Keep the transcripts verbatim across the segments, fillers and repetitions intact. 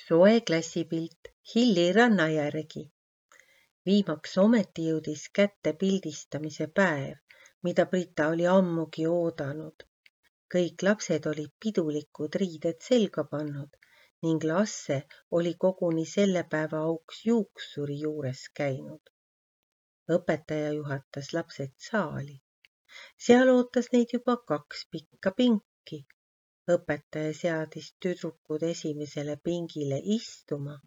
Soe klassipilt Hilli ranna järgi. Viimaks ometi jõudis kätte pildistamise päev, mida Brita oli ammugi oodanud. Kõik lapsed olid pidulikud riided selga pannud ning Lasse oli koguni selle päeva auks juuksuri juures käinud. Õpetaja juhatas lapsed saali. Seal ootas neid juba kaks pikka pinki. Õpetaja seadis tüdrukud esimesele pingile istuma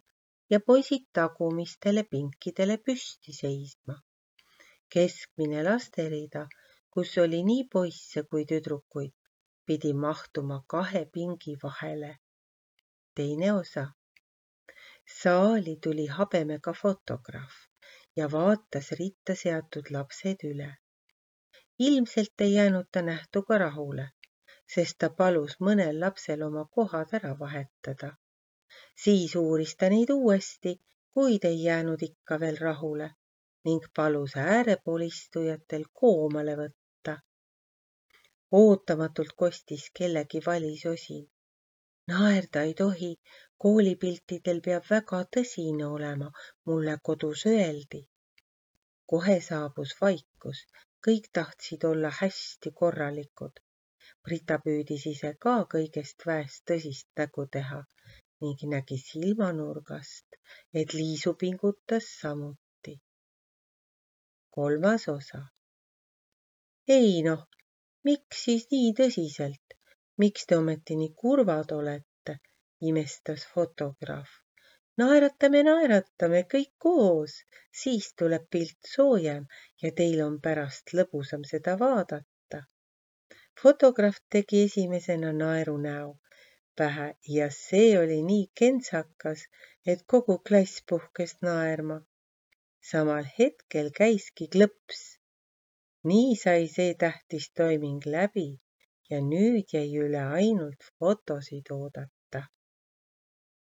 ja poisid tagumistele pinkidele püsti seisma. Keskmine lasterida, kus oli nii poisse kui tüdrukuid, pidi mahtuma kahe pingi vahele. Teine osa. Saali tuli habemega fotograaf ja vaatas ritta seatud lapsed üle. Ilmselt ei jäänud ta nähtuga rahule, sest ta palus mõnel lapsel oma kohad ära vahetada. Siis uuris ta neid uuesti, kuid ei jäänud ikka veel rahule ning palus äärepoolistujatel koomale võtta. Ootamatult kostis kellegi valisosin. Naerda ei tohi, koolipiltidel peab väga tõsine olema, mulle kodus öeldi. Kohe saabus vaikus, kõik tahtsid olla hästi korralikud. Brita püüdis ise ka kõigest väest tõsist nägu teha ning nägi silmanurgast, et Liisu pingutas samuti. Kolmas osa. Ei noh, miks siis nii tõsiselt? Miks te ometi nii kurvad olete? Imestas fotograaf. Naeratame, naeratame kõik koos, siis tuleb pilt soojem ja teil on pärast lõbusam seda vaadata. Fotograaf tegi esimesena naeru näo pähe ja see oli nii kentsakas, et kogu klass puhkes naerma. Samal hetkel käiski klõps. Nii sai see tähtis toiming läbi ja nüüd jäi üle ainult fotosid oodata.